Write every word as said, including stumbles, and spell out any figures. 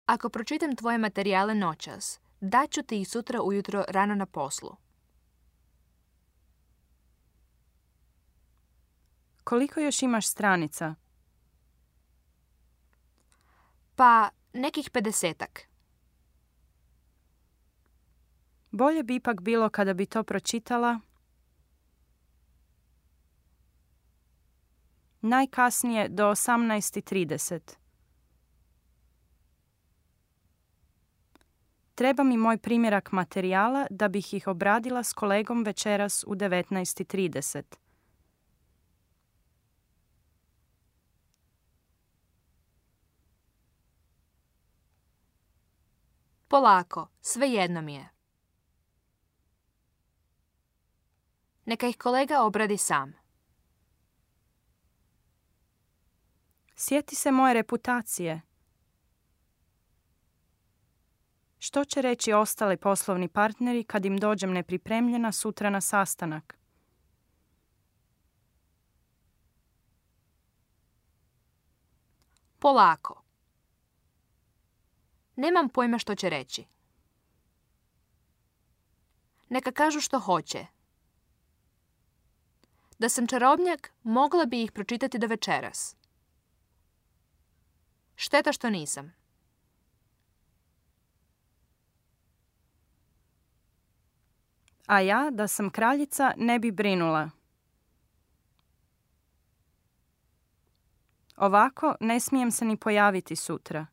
Ako pročitam tvoje materijale noćas, daću ti ih sutra ujutro rano na poslu. Koliko još imaš stranica? Pa, nekih pedesetak. Bolje bi ipak bilo kada bi to pročitala najkasnije do osamnaest i trideset. Treba mi moj primjerak materijala da bih ih obradila s kolegom večeras u devetnaest i trideset. Polako, svejedno mi je. Neka ih kolega obradi sam. Sjeti se moje reputacije. Što će reći ostali poslovni partneri kad im dođem nepripremljena sutra na sastanak? Polako. Nemam pojma što će reći. Neka kažu što hoće. Da sam čarobnjak, mogla bi ih pročitati do večeras. Šteta što nisam. A ja, da sam kraljica, ne bi brinula. Ovako ne smijem se ni pojaviti sutra.